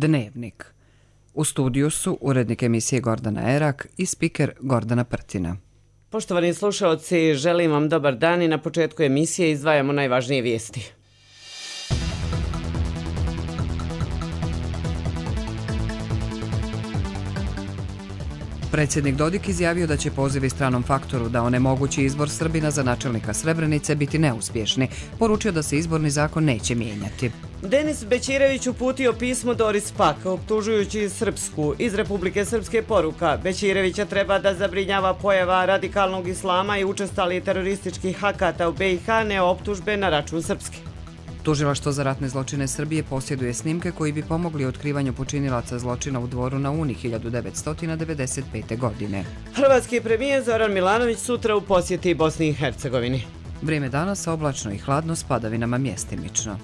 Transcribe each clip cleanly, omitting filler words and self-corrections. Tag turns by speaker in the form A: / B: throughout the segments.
A: Dnevnik. U studiju su urednik emisije Gordana Erak i spiker Gordana Prtina.
B: Poštovani slušaoci, želim vam dobar dan i na početku emisije izdvajamo najvažnije vijesti.
A: Predsjednik Dodik izjavio da će pozivi stranom faktoru da onemogući izbor Srbina za načelnika Srebrenice biti neuspješni. Poručio da se izborni zakon neće mijenjati.
B: Denis Bećirević uputio pismo Doris Pack, optužujući Srpsku. Iz Republike Srpske poruka: Bećirevića treba da zabrinjava pojava radikalnog islama i učestali terorističkih akata u BiH, ne optužbe na račun Srpske.
A: Tužilaštvo za ratne zločine Srbije posjeduje snimke koji bi pomogli otkrivanju počinilaca zločina u Dvoru na Uni 1995. godine.
B: Hrvatski premijer Zoran Milanović sutra u posjeti Bosni i Hercegovini.
A: Vrijeme danas oblačno i hladno s padavinama mjestimično.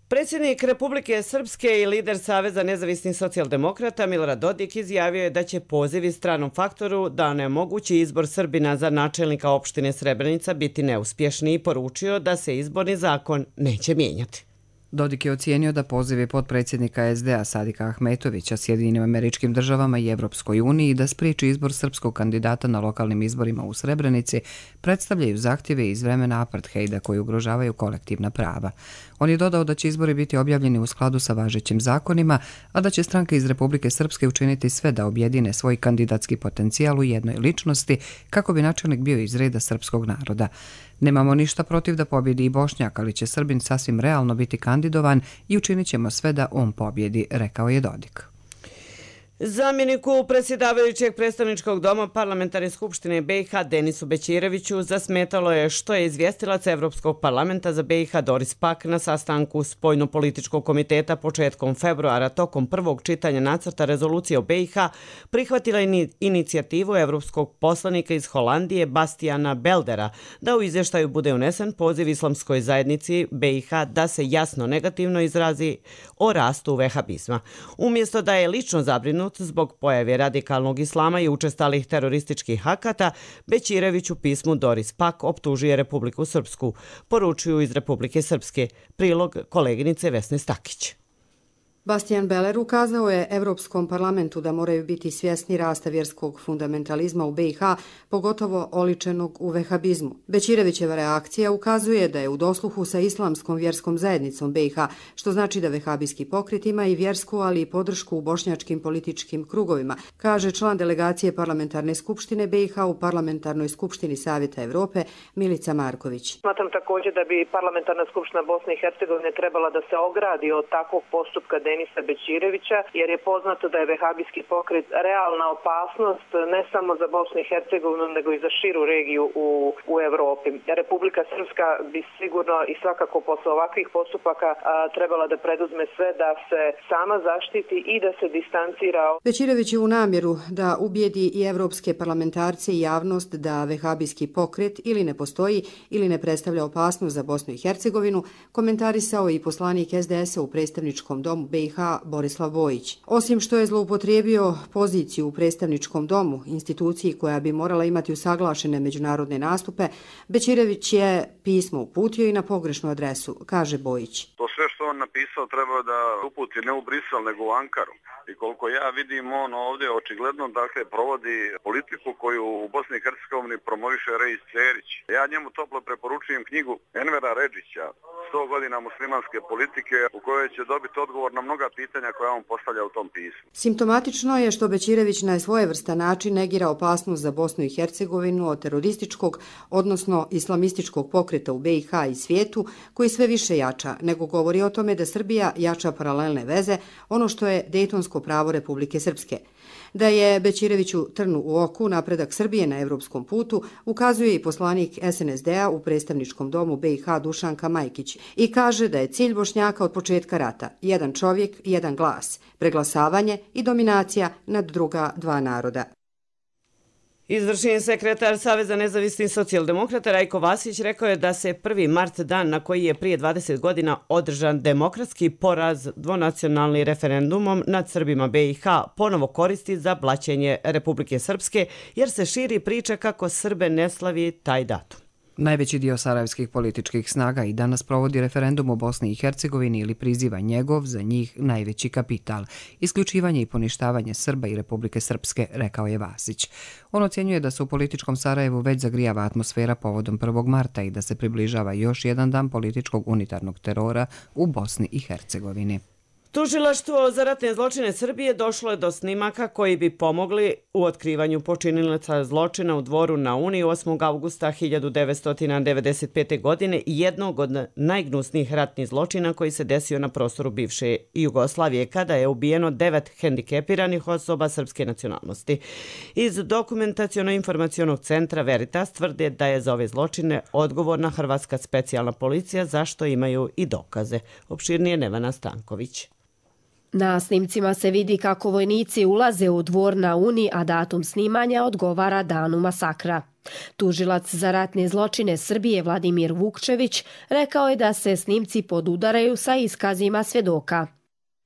B: Predsjednik Republike Srpske i lider Saveza nezavisnih socijaldemokrata Milorad Dodik izjavio je da će pozivi stranom faktoru da onemogući izbor Srbina za načelnika opštine Srebrenica biti neuspješni i poručio da se izborni zakon neće mijenjati.
A: Dodik je ocijenio da pozivi potpredsjednika SDA Sadika Ahmetovića Sjedinjenim Američkim Državama i Evropskoj uniji da spriječi izbor srpskog kandidata na lokalnim izborima u Srebrenici predstavljaju zahtjeve iz vremena apartheida koji ugrožavaju kolektivna prava. On je dodao da će izbori biti objavljeni u skladu sa važećim zakonima, a da će stranke iz Republike Srpske učiniti sve da objedine svoj kandidatski potencijal u jednoj ličnosti kako bi načelnik bio iz reda srpskog naroda. Nemamo ništa protiv da pobjedi i Bošnjak, ali će Srbin sasvim realno biti kandidovan i učinit ćemo sve da on pobjedi, rekao je Dodik.
B: Zamjeniku predsjedavajućeg predstavničkog doma Parlamentarne skupštine BiH Denisu Bećireviću zasmetalo je što je izvjestilac Evropskog parlamenta za BiH Doris Pack na sastanku Spoljnopolitičkog komiteta početkom februara tokom prvog čitanja nacrta rezolucije o BiH prihvatila inicijativu evropskog poslanika iz Holandije Bastiana Beldera da u izvještaju bude unesen poziv islamskoj zajednici BiH da se jasno negativno izrazi o rastu vehabizma. Umjesto da je lično zabrinut zbog pojave radikalnog islama i učestalih terorističkih akata, Bećirević u pismu Doris Pack optužuje Republiku Srpsku, poručuju iz Republike Srpske. Prilog koleginice Vesne Stakić.
C: Bastian Beller ukazao je Evropskom parlamentu da moraju biti svjesni rasta vjerskog fundamentalizma u BiH, pogotovo oličenog u vehabizmu. Bećirevićeva reakcija ukazuje da je u dosluhu sa islamskom vjerskom zajednicom BiH, što znači da vehabijski pokret ima i vjersku, ali i podršku u bošnjačkim političkim krugovima, kaže član delegacije Parlamentarne skupštine BiH u Parlamentarnoj skupštini Savjeta Evrope Milica Marković.
D: Smatram također da bi Parlamentarna skupština Bosne i Hercegovine trebala da se ogradi od takvog postupka Denisa Bećirevića, jer je poznato da je vehabijski pokret realna opasnost ne samo za Bosnu i Hercegovinu, nego i za širu regiju u Evropi. Republika Srpska bi sigurno i svakako posle ovakvih postupaka trebala da preduzme sve da se sama zaštiti i da se distancira.
C: Bećirević je u namjeru da ubijedi i evropske parlamentarce i javnost da vehabijski pokret ili ne postoji ili ne predstavlja opasnost za Bosnu i Hercegovinu, komentarisao i poslanik SDS-a u predstavničkom domu BiH Borislav Bojić. Osim što je zloupotrijebio poziciju u predstavničkom domu, instituciji koja bi morala imati usaglašene međunarodne nastupe, Bećirević je pismo uputio i na pogrešnu adresu, kaže Bojić.
E: To sve što on napisao treba da uputi ne u Brisel nego u Ankaru. I koliko ja vidim, on ovdje očigledno provodi politiku koju u Bosni i Hercegovini promoviše Reis Cerić. Ja njemu toplo preporučujem knjigu Envera Redžića, 100 godina muslimanske politike, u kojoj će dobiti odgovor na mnoga pitanja koja on postavlja u tom pismu.
C: Simptomatično je što Bećirević na svojevrstan način negira opasnost za Bosnu i Hercegovinu od terorističkog, odnosno islamističkog pokreta u BiH i svijetu, koji sve više jača, nego govori o tome da Srbija jača paralelne veze, ono što je Dejtonsko pravo Republike Srpske. Da je Bećireviću trnu u oku napredak Srbije na evropskom putu ukazuje i poslanik SNSD-a u predstavničkom domu BiH Dušanka Majkić i kaže da je cilj Bošnjaka od početka rata jedan čovjek, jedan glas, preglasavanje i dominacija nad druga dva naroda.
B: Izvršni sekretar Saveza nezavisnih socijaldemokrata Rajko Vasić rekao je da se 1. mart, dan na koji je prije 20 godina održan demokratski poraz dvonacionalnim referendumom nad Srbima BiH, ponovo koristi za blaćenje Republike Srpske, jer se širi priča kako Srbe ne slavi taj datum.
A: Najveći dio sarajevskih političkih snaga i danas provodi referendum u Bosni i Hercegovini ili priziva njegov, za njih, najveći kapital. Isključivanje i poništavanje Srba i Republike Srpske, rekao je Vasić. On ocjenjuje da se u političkom Sarajevu već zagrijava atmosfera povodom 1. marta i da se približava još jedan dan političkog unitarnog terora u Bosni i Hercegovini.
B: Tužilaštvo za ratne zločine Srbije došlo je do snimaka koji bi pomogli u otkrivanju počinilaca zločina u Dvoru na Uni 8. avgusta 1995. godine i jednog od najgnusnijih ratnih zločina koji se desio na prostoru bivše Jugoslavije, kada je ubijeno 9 hendikepiranih osoba srpske nacionalnosti. Iz dokumentaciono-informacionog centra Veritas tvrde da je za ove zločine odgovorna Hrvatska specijalna policija, zašto imaju i dokaze. Opširnije Nevena Stanković.
F: Na snimcima se vidi kako vojnici ulaze u Dvor na Uni, a datum snimanja odgovara danu masakra. Tužilac za ratne zločine Srbije Vladimir Vukčević rekao je da se snimci podudaraju sa iskazima svjedoka.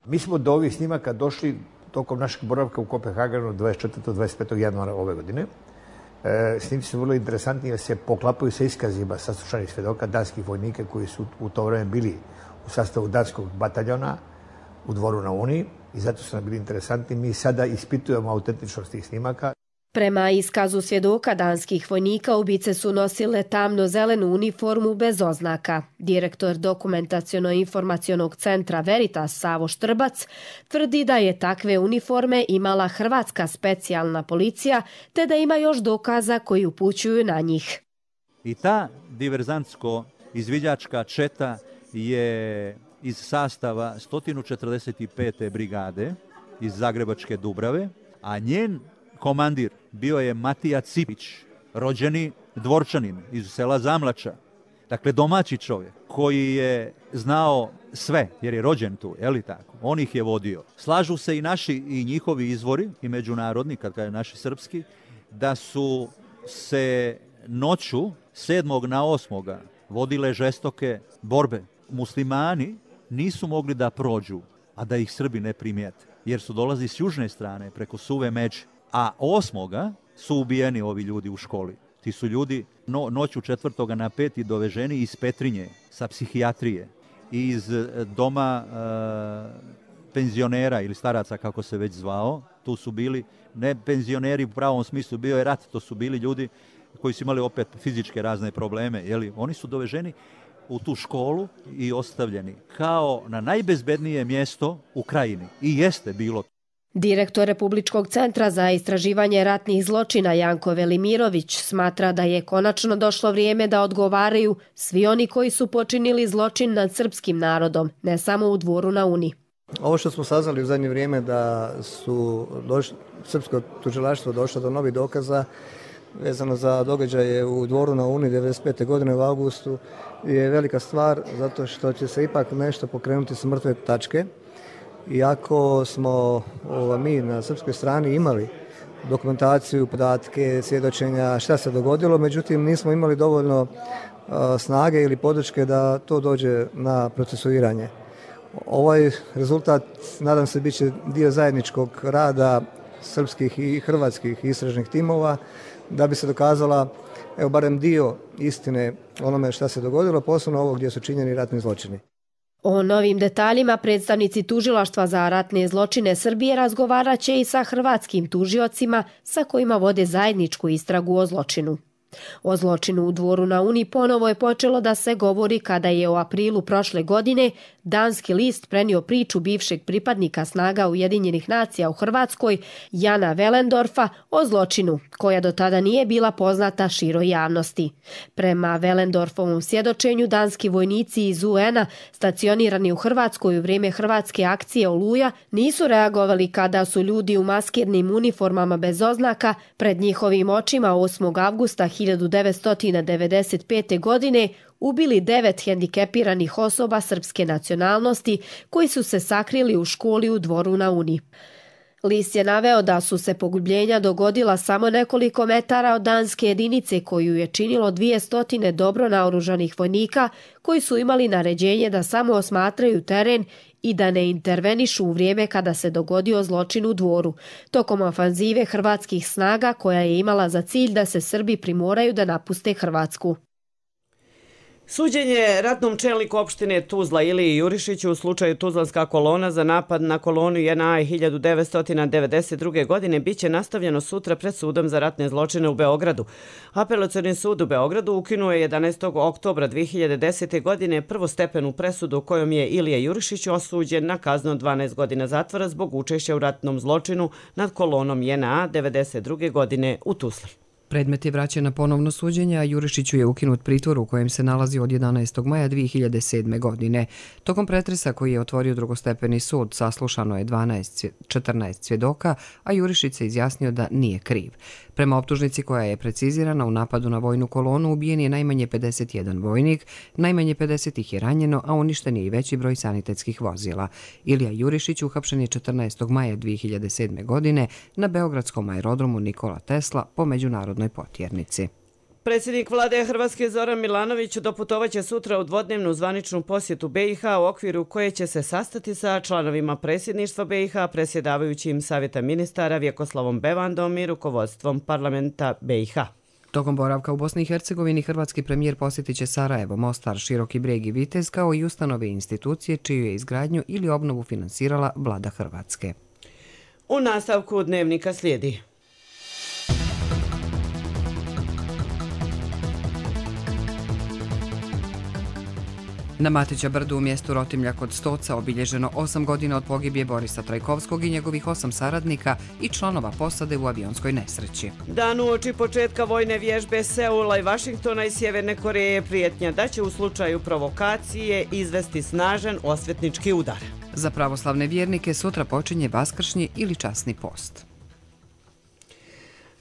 G: Mi smo do ovih snimaka došli tokom našeg boravka u Kopenhagenu 24. 25. januara ove godine. Snimci su vrlo interesantni jer se poklapaju sa iskazima saslušanih svjedoka danskih vojnika koji su u to vreme bili u sastavu danskog bataljona u Dvoru na Uni i zato su nam bili interesantni. Mi sada ispitujemo autentičnost tih snimaka.
F: Prema iskazu svjedoka danskih vojnika, ubice su nosile tamno-zelenu uniformu bez oznaka. Direktor dokumentaciono-informacionog centra Veritas Savo Štrbac tvrdi da je takve uniforme imala Hrvatska specijalna policija, te da ima još dokaza koji upućuju na njih.
H: I ta diverzantsko-izviđačka četa je iz sastava 145. brigade iz Zagrebačke Dubrave, a njen komandir bio je Matija Cipić, rođeni Dvorčanin iz sela Zamlača. Dakle, domaći čovjek koji je znao sve, jer je rođen tu, je li tako? On ih je vodio. Slažu se i naši i njihovi izvori, i međunarodni, kad kaže naši srpski, da su se noću 7. na 8. vodile žestoke borbe. Muslimani nisu mogli da prođu, a da ih Srbi ne primijete, jer su dolazili s južne strane preko Suve Međe. A 8. su ubijeni ovi ljudi u školi. Ti su ljudi noću 4. na 5. doveženi iz Petrinje, sa psihijatrije, iz doma penzionera ili staraca, kako se već zvao. Tu su bili ne penzioneri u pravom smislu, bio je rat, to su bili ljudi koji su imali opet fizičke razne probleme. Jeli? Oni su doveženi u tu školu i ostavljeni kao na najbezbednije mjesto u krajini. I jeste bilo.
F: Direktor Republičkog centra za istraživanje ratnih zločina Janko Velimirović smatra da je konačno došlo vrijeme da odgovaraju svi oni koji su počinili zločin nad srpskim narodom, ne samo u Dvoru na Uni.
I: Ovo što smo saznali u zadnje vrijeme da su srpsko tužilaštvo došlo do novih dokaza vezano za događaje u Dvoru na Uni 1995. godine u avgustu je velika stvar, zato što će se ipak nešto pokrenuti s mrtve tačke. Iako smo mi na srpskoj strani imali dokumentaciju, podatke, svjedočenja šta se dogodilo, međutim nismo imali dovoljno snage ili podrške da to dođe na procesuiranje. Ovaj rezultat, nadam se, bit će dio zajedničkog rada srpskih i hrvatskih istražnih timova da bi se dokazala barem dio istine onome šta se dogodilo, posebno ovo gdje su činjeni ratni zločini.
F: O novim detaljima predstavnici Tužilaštva za ratne zločine Srbije razgovarat će i sa hrvatskim tužiocima sa kojima vode zajedničku istragu o zločinu. O zločinu u Dvoru na Uni ponovo je počelo da se govori kada je u aprilu prošle godine danski list prenio priču bivšeg pripadnika snaga Ujedinjenih nacija u Hrvatskoj, Jana Wellendorfa, o zločinu, koja do tada nije bila poznata široj javnosti. Prema Wellendorfovom svjedočenju, danski vojnici iz UN-a stacionirani u Hrvatskoj u vrijeme hrvatske akcije Oluja nisu reagovali kada su ljudi u maskirnim uniformama bez oznaka pred njihovim očima 8. avgusta 1995. godine ubili 9 hendikepiranih osoba srpske nacionalnosti koji su se sakrili u školi u Dvoru na Uni. List je naveo da su se pogubljenja dogodila samo nekoliko metara od danske jedinice koju je činilo 200 dobro naoružanih vojnika koji su imali naređenje da samo osmatraju teren i da ne intervenišu u vrijeme kada se dogodio zločin u Dvoru, tokom ofanzive hrvatskih snaga koja je imala za cilj da se Srbi primoraju da napuste Hrvatsku.
B: Suđenje ratnom čelniku opštine Tuzla Iliji Jurišiću u slučaju Tuzlanska kolona za napad na kolonu JNA 1992. godine biće nastavljeno sutra pred sudom za ratne zločine u Beogradu. Apelacioni sud u Beogradu ukinuo je 11. oktobra 2010. godine prvostepenu presudu kojom je Ilija Jurišić osuđen na kaznu od 12 godina zatvora zbog učešća u ratnom zločinu nad kolonom JNA 1992. godine u Tuzli.
A: Predmet je vraćen na ponovno suđenje, a Jurišiću je ukinut pritvor u kojem se nalazi od 11. maja 2007. godine. Tokom pretresa koji je otvorio drugostepeni sud, saslušano je 14 svjedoka, a Jurišić se izjasnio da nije kriv. Prema optužnici koja je precizirana, u napadu na vojnu kolonu ubijen je najmanje 51 vojnik, najmanje 50 ih je ranjeno, a uništen je i veći broj sanitetskih vozila. Ilija Jurišić uhapšen je 14. maja 2007. godine na beogradskom aerodromu Nikola Tesla po međunarodnoj potjernici.
B: Predsjednik vlade Hrvatske Zoran Milanović doputovaće sutra u dvodnevnu zvaničnu posjetu BiH u okviru koje će se sastati sa članovima predsjedništva BiH, predsjedavajućim Savjeta ministara Vjekoslavom Bevandom i rukovodstvom parlamenta BiH.
A: Tokom boravka u Bosni i Hercegovini hrvatski premijer posjetit će Sarajevo, Mostar, Široki Brijeg i Vitez kao i ustanove i institucije čiju je izgradnju ili obnovu finansirala vlada Hrvatske.
B: U nastavku dnevnika slijedi.
A: Na Matića brdu u mjestu Rotimlja kod Stoca obilježeno 8 godina od pogibije Borisa Trajkovskog i njegovih 8 saradnika i članova posade u avionskoj nesreći.
B: Dan uoči početka vojne vježbe Seula i Vašingtona i Sjeverne Koreje prijetnja da će u slučaju provokacije izvesti snažan osvetnički udar.
A: Za pravoslavne vjernike sutra počinje vaskršnji ili časni post.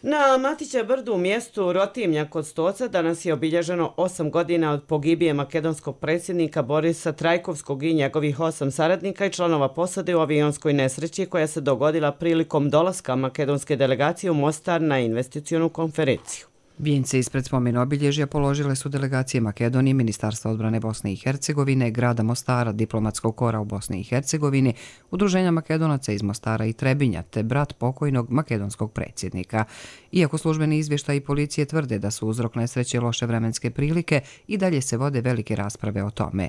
B: Na Matića brdu u mjestu Rotimlja kod Stoca danas je obilježeno 8 godina od pogibije makedonskog predsjednika Borisa Trajkovskog i njegovih 8 saradnika i članova posade u avionskoj nesreći koja se dogodila prilikom dolaska makedonske delegacije u Mostar na investicionu konferenciju.
A: Vijence ispred spomen obilježja položile su delegacije Makedonije, Ministarstva odbrane Bosne i Hercegovine, grada Mostara, diplomatskog kora u Bosni i Hercegovini, Udruženja Makedonaca iz Mostara i Trebinja, te brat pokojnog makedonskog predsjednika. Iako službeni izvještaji policije tvrde da su uzrok nesreće loše vremenske prilike, i dalje se vode velike rasprave o tome.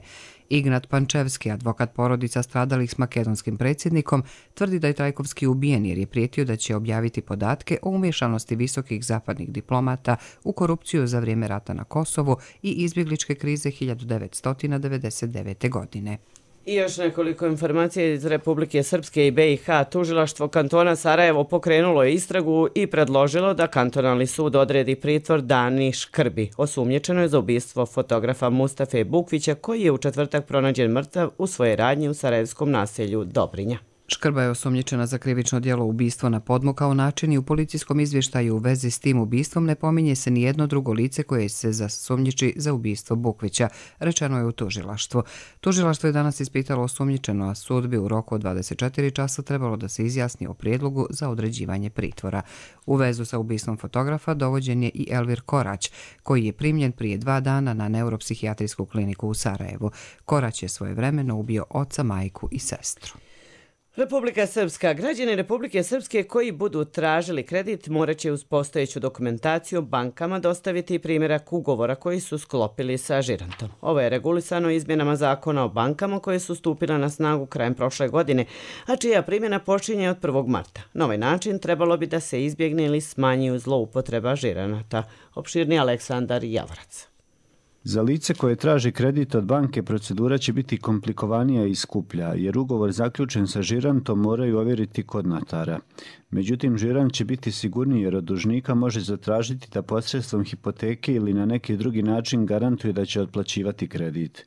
A: Ignat Pančevski, advokat porodica stradalih s makedonskim predsjednikom, tvrdi da je Trajkovski ubijen jer je prijetio da će objaviti podatke o umješanosti visokih zapadnih diplomata u korupciju za vrijeme rata na Kosovu i izbjegličke krize 1999. godine.
B: I još nekoliko informacija iz Republike Srpske i BiH. Tužilaštvo kantona Sarajevo pokrenulo je istragu i predložilo da kantonalni sud odredi pritvor Dani Škrbi. Osumnjičeno je za ubistvo fotografa Mustafe Bukvića koji je u četvrtak pronađen mrtav u svojoj radnji u sarajevskom naselju Dobrinja.
A: Škrba je osumnjičena za krivično djelo ubistvo na podmukao način i u policijskom izvještaju u vezi s tim ubistvom ne pominje se ni jedno drugo lice koje se zasumnjiči za ubistvo Bukvića, rečeno je u tužilaštvu. Tužilaštvo je danas ispitalo osumnjičeno, a sud bi u roku od 24 časa trebalo da se izjasni o prijedlogu za određivanje pritvora. U vezu sa ubistvom fotografa dovođen je i Elvir Korać, koji je primljen prije 2 dana na neuropsihijatrijsku kliniku u Sarajevu. Korać je svojevremeno ubio oca, majku i sestru.
B: Republika Srpska. Građani Republike Srpske koji budu tražili kredit morat će uz postojeću dokumentaciju bankama dostaviti primjerak ugovora koji su sklopili sa žirantom. Ovo je regulisano izmjenama zakona o bankama koje su stupile na snagu krajem prošle godine, a čija primjena počinje od 1. marta. Na ovaj način trebalo bi da se izbjegne ili smanji zloupotreba žiranata. Opširni Aleksandar Javorac.
J: Za lice koje traži kredit od banke procedura će biti komplikovanija i skuplja, jer ugovor zaključen sa žirantom moraju ovjeriti kod notara. Međutim, žirant će biti sigurniji jer od dužnika može zatražiti da posredstvom hipoteke ili na neki drugi način garantuje da će otplaćivati kredit.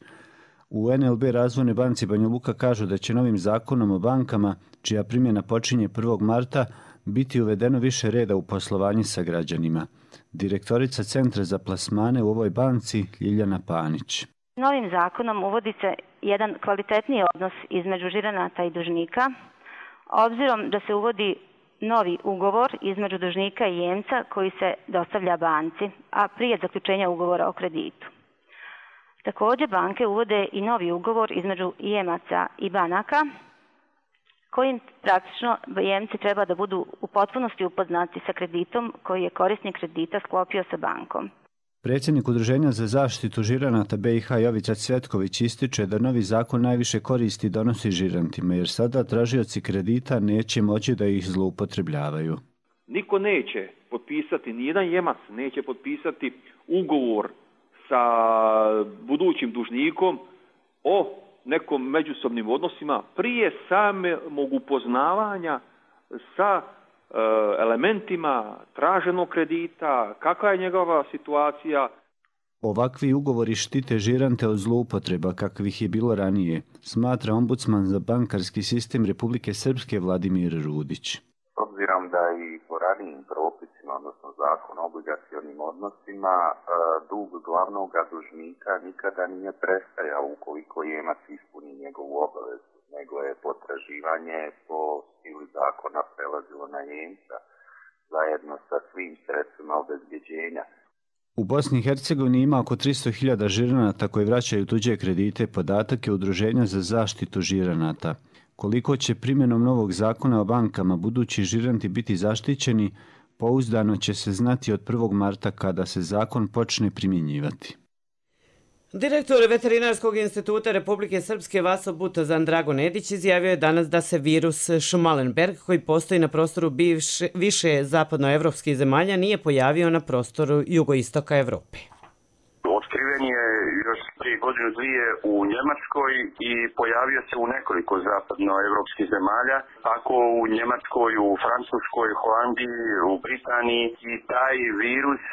J: U NLB Razvojnoj banci Banja Luka kažu da će novim zakonom o bankama, čija primjena počinje 1. marta, biti uvedeno više reda u poslovanju sa građanima. Direktorica Centra za plasmane u ovoj banci Ljiljana Panić.
K: Novim zakonom uvodi se jedan kvalitetniji odnos između žiranata i dužnika, obzirom da se uvodi novi ugovor između dužnika i jemca koji se dostavlja banci, a prije zaključenja ugovora o kreditu. Također banke uvode i novi ugovor između jemaca i banaka, kojim praktično jemci treba da budu u potpunosti upoznati sa kreditom koji je korisnik kredita sklopio sa bankom.
J: Predsjednik Udruženja za zaštitu žiranata BiH Jovica Cvjetković ističe da novi zakon najviše koristi donosi žirantima, jer sada tražioci kredita neće moći da ih zloupotrebljavaju.
L: Niko neće potpisati, nijedan jemac neće potpisati ugovor sa budućim dužnikom o nekom međusobnim odnosima prije samog upoznavanja sa elementima traženog kredita, kakva je njegova situacija.
J: Ovakvi ugovori štite žirante od zloupotreba kakvih je bilo ranije, smatra ombudsman za bankarski sistem Republike Srpske Vladimir Rudić.
M: S obzirom da i po ranijim propisima, odnosno zakon o obligacionim odnosima, dug glavnog dužnika nikada nije prestajao ukoliko jemac ispuni njegovu obavezu, nego je potraživanje po sili zakona prelazilo na jemca zajedno sa svim sredstvima obezbjeđenja.
J: U Bosni i Hercegovini ima oko 300.000 žiranata koji vraćaju tuđe kredite, podatak je Udruženja za zaštitu žiranata. Koliko će primjenom novog zakona o bankama budući žiranti biti zaštićeni, pouzdano će se znati od 1. marta kada se zakon počne primjenjivati.
B: Direktor Veterinarskog instituta Republike Srpske Vaso Butozan Drago Nedić izjavio je danas da se virus Schmallenberg, koji postoji na prostoru više zapadnoevropskih zemalja, nije pojavio na prostoru jugoistoka Evrope.
M: Otkriven je još prije godinu dvije u Njemačkoj i pojavio se u nekoliko zapadnoevropskih zemalja, tako u Njemačkoj, u Francuskoj, Holandiji, u Britaniji, i taj virus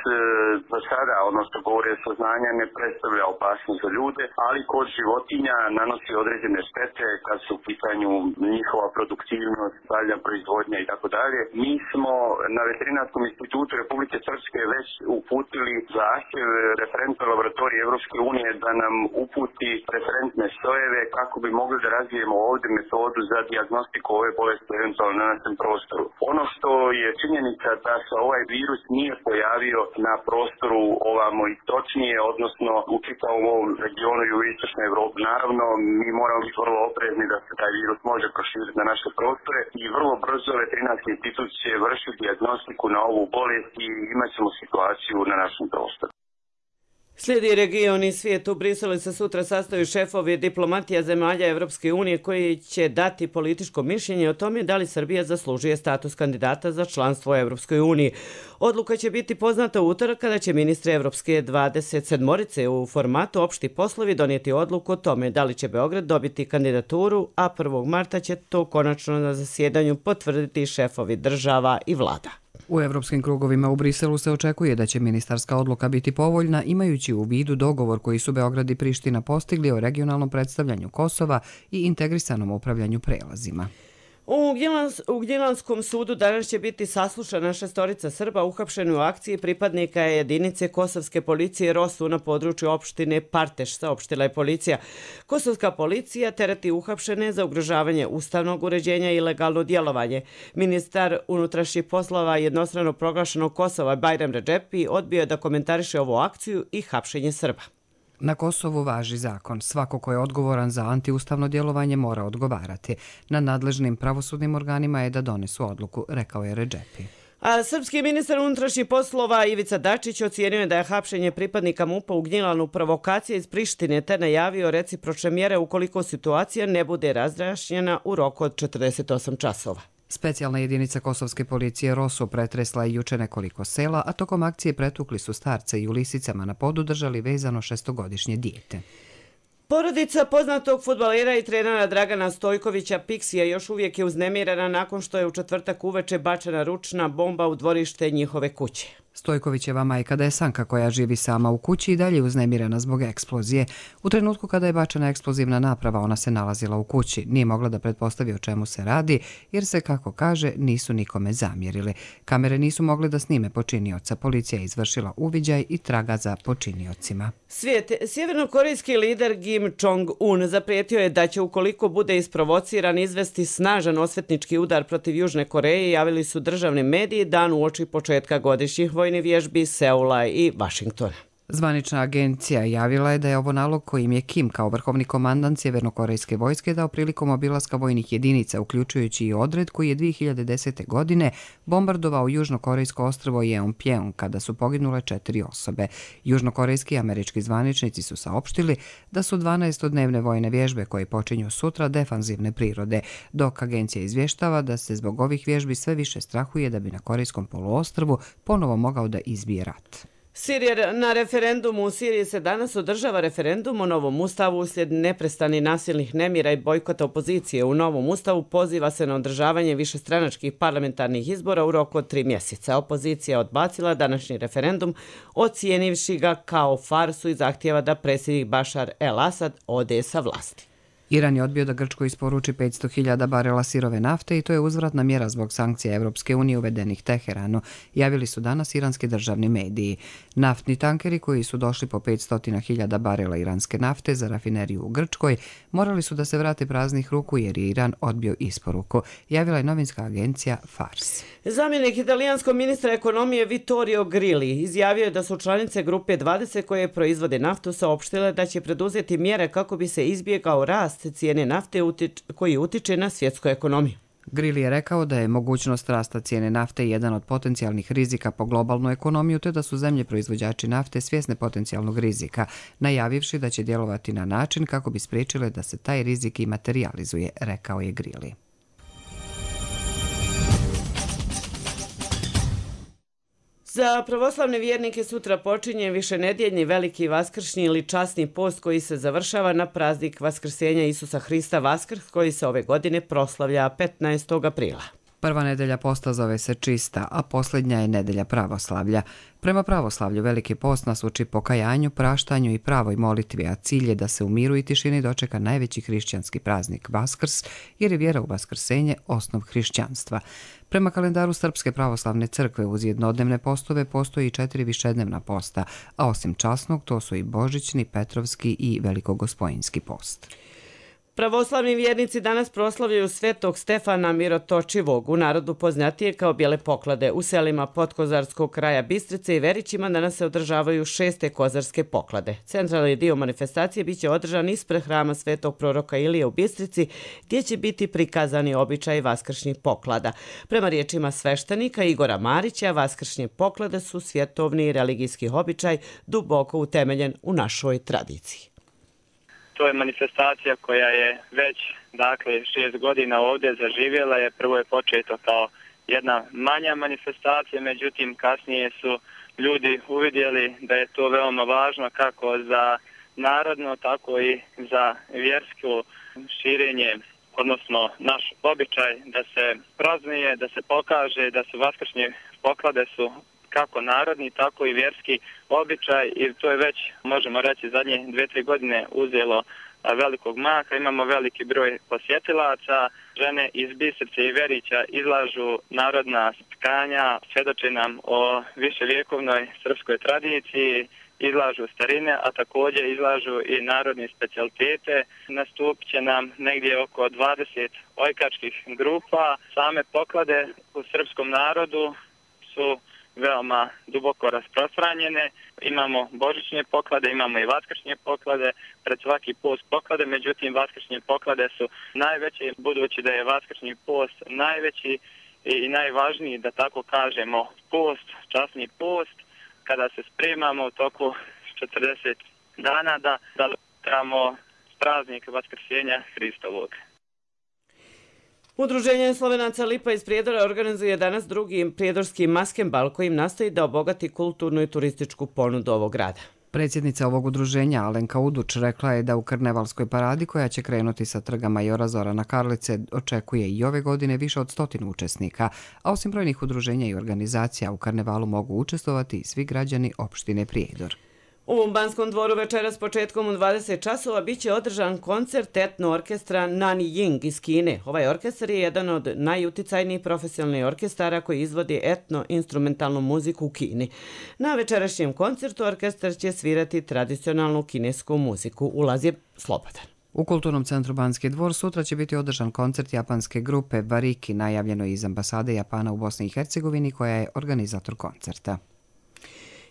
M: do sada, odnosno govore saznanja, ne predstavlja opasnost za ljude, ali kod životinja nanosi određene štete kad su u pitanju njihova produktivnost, dalja proizvodnja i tako dalje. Mi smo na Veterinarskom institutu Republike Srpske već uputili zahtjev referentne laboratorije Evropske unije da nam uputi referentne sojeve kako bi mogli da razvijemo ovdje metodu za dijagnostiku ove bolesti eventualno na našem prostoru. Ono što je činjenica da se ovaj virus nije pojavio na prostoru ovamo istočnije, odnosno u čitavom ovom regionu i u istočnoj Evropi. Naravno, mi moramo biti vrlo oprezni da se taj virus može proširiti na naše prostore i vrlo brzo Veterinarski institut će vršiti dijagnostiku na ovu bolest i imat ćemo situaciju na našem prostoru.
B: Slijedi region i svijet. U Briselu se sutra sastaju šefovi diplomatija zemalja Evropske unije koji će dati političko mišljenje o tome da li Srbija zaslužuje status kandidata za članstvo u Evropskoj uniji. Odluka će biti poznata u utorak kada će ministri Evropske 27-orice u formatu opšti poslovi donijeti odluku o tome da li će Beograd dobiti kandidaturu, a 1. marta će to konačno na zasjedanju potvrditi šefovi država i vlada.
A: U evropskim krugovima u Briselu se očekuje da će ministarska odluka biti povoljna, imajući u vidu dogovor koji su Beograd i Priština postigli o regionalnom predstavljanju Kosova i integrisanom upravljanju prelazima.
B: U Gnjilanskom sudu danas će biti saslušana 6 Srba uhapšeni u akciji pripadnika jedinice kosovske policije ROSU na području opštine Parteš, saopštila je policija. Kosovska policija tereti uhapšene za ugrožavanje ustavnog uređenja i ilegalno djelovanje. Ministar unutrašnjih poslova jednostrano proglašenog Kosova Bajram Redžepi odbio je da komentariše ovu akciju i hapšenje Srba.
A: Na Kosovu važi zakon. Svako ko je odgovoran za antiustavno djelovanje mora odgovarati. Na nadležnim pravosudnim organima je da donesu odluku, rekao je Redžepi.
B: A srpski ministar unutrašnjih poslova Ivica Dačić ocijenio je da je hapšenje pripadnika MUP-a u Gnjilanu provokacija iz Prištine te najavio recipročne mjere ukoliko situacija ne bude razjašnjena u roku od 48 časova.
A: Specijalna jedinica kosovske policije ROSU pretresla je juče nekoliko sela, a tokom akcije pretukli su starce i u lisicama na podu držali vezano 6-godišnje dijete.
B: Porodica poznatog fudbalera i trenera Dragana Stojkovića Piksija još uvijek je uznemirena nakon što je u četvrtak uveče bačena ručna bomba u dvorište njihove kuće.
A: Stojkovićeva majka Desanka, koja živi sama u kući, i dalje uznemirena zbog eksplozije. U trenutku kada je bačena eksplozivna naprava, ona se nalazila u kući. Nije mogla da pretpostavi o čemu se radi, jer se, kako kaže, nisu nikome zamjerili. Kamere nisu mogle da snime počinioca. Policija je izvršila uviđaj i traga za počiniocima.
B: Sjevernokorejski lider Kim Jong-un zaprijetio je da će, ukoliko bude isprovociran, izvesti snažan osvetnički udar protiv Južne Koreje, javili su državni mediji dan uoči početka godišnjih vojnih vježbi Seula i Vašingtona.
A: Zvanična agencija javila je da je ovo nalog kojim je Kim kao vrhovni komandant sjevernokorejske vojske dao prilikom obilaska vojnih jedinica, uključujući i odred koji je 2010. godine bombardovao južnokorejsko ostrvo Jeonpjeong kada su poginule 4 osobe. Južnokorejski i američki zvaničnici su saopštili da su 12-dnevne vojne vježbe koje počinju sutra defanzivne prirode, dok agencija izvještava da se zbog ovih vježbi sve više strahuje da bi na Korejskom poluostrvu ponovo mogao da izbije rat.
B: Na referendumu u Siriji se danas održava referendum o novom ustavu uslijed neprestanih nasilnih nemira i bojkota opozicije. U novom ustavu poziva se na održavanje višestranačkih parlamentarnih izbora u roku od 3 mjeseca. Opozicija odbacila današnji referendum, ocijenivši ga kao farsu i zahtijeva da predsjednik Bašar el-Asad ode sa vlasti.
A: Iran je odbio da Grčkoj isporuči 500.000 barela sirove nafte i to je uzvratna mjera zbog sankcija Evropske unije uvedenih Teheranu, javili su danas iranski državni mediji. Naftni tankeri koji su došli po 500.000 barela iranske nafte za rafineriju u Grčkoj morali su da se vrate praznih ruku jer je Iran odbio isporuku, javila je novinska agencija Fars.
B: Zamjenik italijanskog ministra ekonomije Vittorio Grilli izjavio je da su članice grupe 20 koje proizvode naftu saopštile da će preduzeti mjere kako bi se izbjegao rast cijene nafte koji utiče na svjetsku ekonomiju.
A: Grilli je rekao da je mogućnost rasta cijene nafte jedan od potencijalnih rizika po globalnu ekonomiju, te da su zemlje proizvođači nafte svjesne potencijalnog rizika, najavivši da će djelovati na način kako bi spriječile da se taj rizik i materializuje, rekao je Grilli.
B: Za pravoslavne vjernike sutra počinje višenedjeljni veliki vaskršnji ili časni post koji se završava na praznik Vaskrsenja Isusa Hrista Vaskrs koji se ove godine proslavlja 15. aprila.
A: Prva nedelja posta zove se čista, a posljednja je nedelja pravoslavlja. Prema pravoslavlju veliki post nas uči pokajanju, praštanju i pravoj molitvi, a cilj je da se u miru i tišini dočeka najveći hrišćanski praznik Vaskrs, jer je vjera u vaskrsenje osnov hrišćanstva. Prema kalendaru Srpske pravoslavne crkve uz jednodnevne postove postoji 4 višednevna posta, a osim časnog to su i božićni, petrovski i velikogospojinski post.
B: Pravoslavni vjernici danas proslavljaju svetog Stefana Mirotočivog, u narodu poznatije kao bijele poklade. U selima Podkozarskog kraja Bistrice i Verićima danas se održavaju 6. kozarske poklade. Centralni dio manifestacije biće održan ispred hrama svetog proroka Ilije u Bistrici, gdje će biti prikazani običaji vaskršnjih poklada. Prema riječima sveštenika Igora Marića, vaskršnje poklade su svjetovni i religijski običaj duboko utemeljen u našoj tradiciji.
N: To je manifestacija koja je već 6 godina ovdje zaživjela. Prvo je početo kao jedna manja manifestacija, međutim kasnije su ljudi uvidjeli da je to veoma važno kako za narodno, tako i za vjersko širenje, odnosno naš običaj da se praznuje, da se pokaže da su vaskršnje poklade su kako narodni, tako i vjerski običaj i to je već, možemo reći, zadnje 2-3 godine uzelo velikog maha. Imamo veliki broj posjetilaca, žene iz Bistrice i Verića izlažu narodna tkanja, svjedoče nam o viševjekovnoj srpskoj tradiciji, izlažu starine, a također izlažu i narodne specijalitete. Nastupit će nam negdje oko 20 ojkačkih grupa. Same poklade u srpskom narodu su veoma duboko rasprostranjene. Imamo božićne poklade, imamo i vaskršnje poklade, pred svaki post poklade, međutim vaskršnje poklade su najveće, budući da je vaskršnji post najveći i najvažniji, da tako kažemo, post, časni post, kada se spremamo u toku 40 dana da tramo praznik Vaskrsenja Hristovog.
B: Udruženje Slovenaca Lipa iz Prijedora organizuje danas drugi prijedorski maskembal kojim nastoji da obogati kulturnu i turističku ponudu ovog grada.
A: Predsjednica ovog udruženja Alenka Uduč rekla je da u karnevalskoj paradi koja će krenuti sa trga Majora Zorana Karlice očekuje i ove godine više od 100 učesnika, a osim brojnih udruženja i organizacija u karnevalu mogu učestvovati i svi građani opštine Prijedor.
B: U Banskom dvoru večeras početkom u 20 časova biće održan koncert etno orkestra Nani Ying iz Kine. Ovaj orkestar je jedan od najuticajnijih profesionalnih orkestara koji izvodi etno-instrumentalnu muziku u Kini. Na večerašnjem koncertu orkestar će svirati tradicionalnu kinesku muziku. Ulaz je slobodan.
A: U Kulturnom centru Banski dvor sutra će biti održan koncert japanske grupe Variki, najavljeno iz ambasade Japana u Bosni i Hercegovini koja je organizator koncerta.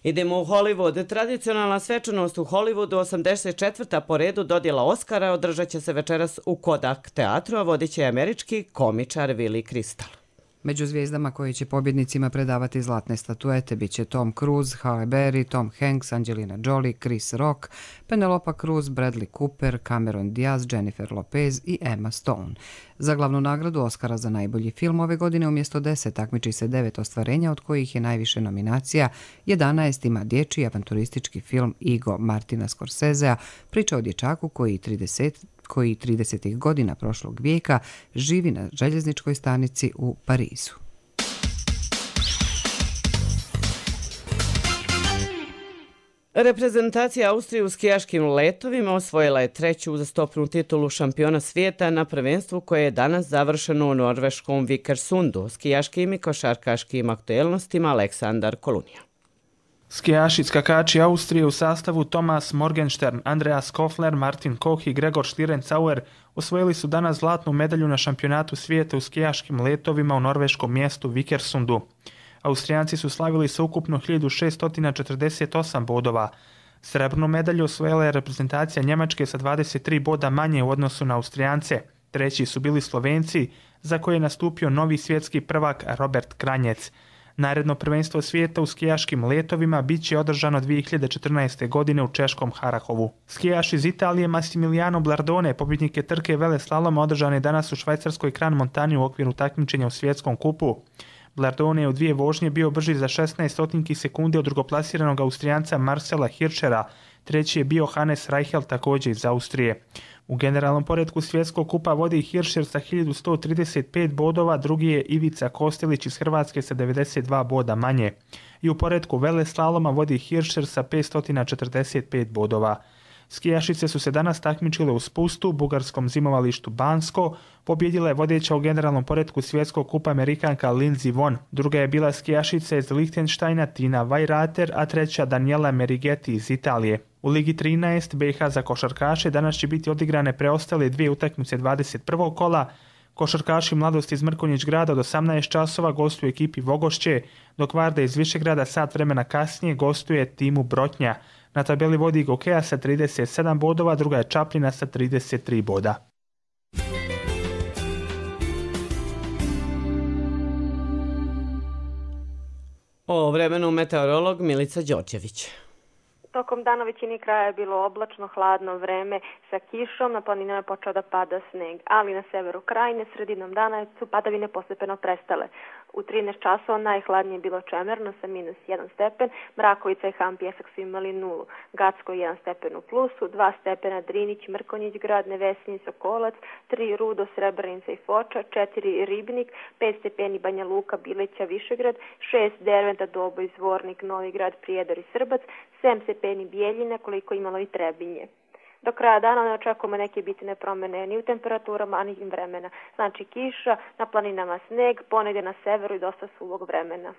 B: Idemo u Hollywood. Tradicionalna svečanost u Hollywoodu, 84. po redu dodjela Oscara, održat će se večeras u Kodak teatru, a vodit će američki komičar Willie Crystal.
A: Među zvijezdama koje će pobjednicima predavati zlatne statuete bit će Tom Cruise, Halle Berry, Tom Hanks, Angelina Jolie, Chris Rock, Penelope Cruz, Bradley Cooper, Cameron Diaz, Jennifer Lopez i Emma Stone. Za glavnu nagradu Oscara za najbolji film ove godine umjesto 10 takmiči se 9 ostvarenja, od kojih je najviše nominacija. 11 ima dječji avanturistički film Ego Martina Scorsesea, priča o dječaku koji 30. godina prošlog vijeka živi na željezničkoj stanici u Parizu.
B: Reprezentacija Austrije u skijaškim letovima osvojila je 3. uzastopnu titulu šampiona svijeta na prvenstvu koje je danas završeno u norveškom Vikersundu. Skijaškim i košarkaškim aktuelnostima Aleksandar Kolunija.
O: Skijaši skakači Austrije u sastavu Thomas Morgenstern, Andreas Kofler, Martin Koch i Gregor Schlierenzauer osvojili su danas zlatnu medalju na šampionatu svijeta u skijaškim letovima u norveškom mjestu Vikersundu. Austrijanci su slavili sa ukupno 1648 bodova. Srebrnu medalju osvojila je reprezentacija Njemačke sa 23 boda manje u odnosu na Austrijance. Treći su bili Slovenci, za koje je nastupio novi svjetski prvak Robert Kranjec. Naredno prvenstvo svijeta u skijaškim letovima bit će održano 2014. godine u češkom Harahovu. Skijaš iz Italije Massimiliano Blardone, pobjednik je trke veleslaloma održane danas u švajcarskoj Kran Montani u okviru takmičenja u svjetskom kupu. Blardone je u 2 vožnje bio brži za 16 sekunde od drugoplasiranog Austrijanca Marcela Hirschera. Treći je bio Hannes Reichel, također iz Austrije. U generalnom poretku svjetskog kupa vodi Hirscher sa 1135 bodova, drugi je Ivica Kostelić iz Hrvatske sa 92 boda manje. I u poretku veleslaloma vodi Hirscher sa 545 bodova. Skijašice su se danas takmičile u spustu, bugarskom zimovalištu Bansko. Pobjedila je vodeća u generalnom poretku svjetskog kupa Amerikanka Lindsey Vonn. Druga je bila skijašica iz Lichtensteina Tina Weirater, a treća Daniela Merigeti iz Italije. U Ligi 13 BiH za košarkaše danas će biti odigrane preostale 2 utakmice 21. kola. Košarkaši Mladosti iz Mrkonjić grada od 18 časova gostuju ekipi Vogošće, dok Varda iz Višegrada sat vremena kasnije gostuje timu Brotnja. Na tabeli vodi Gokeja sa 37 bodova, druga je Čapljina sa 33 boda.
B: O vremenu meteorolog Milica Đorđević.
P: Tokom dana u većini kraja je bilo oblačno, hladno vreme sa kišom, na planinama je počeo da pada sneg, ali na severu krajine sredinom dana su padavine postepeno prestale. U 13 časova najhladnije je bilo Čemerno sa -1 stepen, Mrakovica i Han Pjesak su imali 0, Gacko 1 stepen u plusu, 2 stepena Drinić, Mrkonjić grad, Nevesinji, Sokolac, 3 Rudo, Srebrenica i Foča, 4 Ribnik, 5 stepeni Banja Luka, Bileća, Višegrad, 6 Derventa, Doboj, Zvornik, Novi Grad, Prijedor i Srbac, 7 stepeni Bijeljina, koliko imalo i Trebinje. Do kraja dana ne očekujemo neke bitne promjene ni u temperaturama, ani vremena. Znači kiša, na planinama sneg, ponegdje na severu i dosta suvog vremena.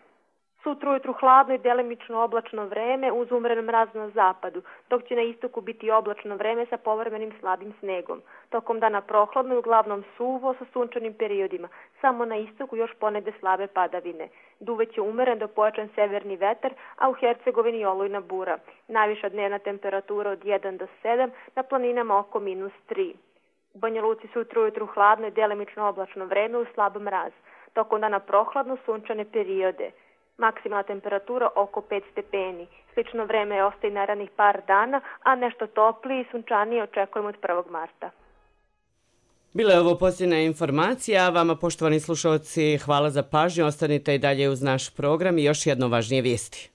P: Sutra ujutru hladno i delimično oblačno vreme uz umeren mraz na zapadu, dok će na istoku biti oblačno vreme sa povremenim slabim snegom. Tokom dana prohladno i uglavnom suvo sa sunčanim periodima, samo na istoku još ponegde slabe padavine. Duveće umeren do pojačan severni vetar, a u Hercegovini olujna bura. Najviša dnevna temperatura od 1 do 7, na planinama oko -3. U Banja Luci sutra ujutru hladno i delimično oblačno vreme uz slab mraz. Tokom dana prohladno sunčane periode. Maksimalna temperatura oko 5 stepeni. Slično vreme ostaje narednih par dana, a nešto toplije i sunčanije očekujemo od 1. marta.
B: Bila je ovo posljednja informacija, a vama poštovani slušalci hvala za pažnju, ostanite i dalje uz naš program i još jedno važnije vijesti.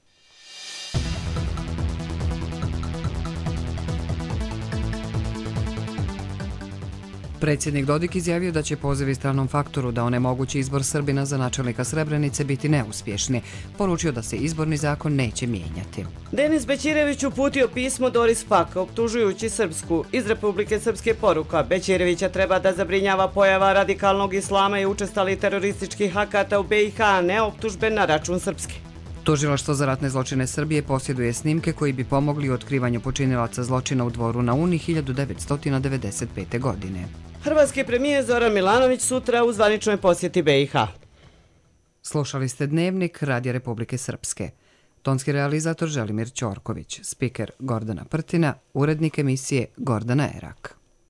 A: Predsjednik Dodik izjavio da će pozivi stranom faktoru da onemogući izbor Srbina za načelnika Srebrenice biti neuspješni. Poručio da se izborni zakon neće mijenjati.
B: Denis Bećirević uputio pismo Doris Pack, optužujući Srpsku. Iz Republike Srpske poruka: Bećirevića treba da zabrinjava pojava radikalnog islama i učestalih terorističkih akata u BiH, a ne optužbe na račun Srpske.
A: Tužilaštvo za ratne zločine Srbije posjeduje snimke koji bi pomogli u otkrivanju počinilaca zločina u Dvoru na Uni 1995. godine.
B: Hrvatski premijer Zoran Milanović sutra u zvaničnoj posjeti BiH.
A: Slušali ste Dnevnik Radija Republike Srpske. Tonski realizator Želimir Ćorković, spiker Gordana Prtina, urednik emisije Gordana Erak.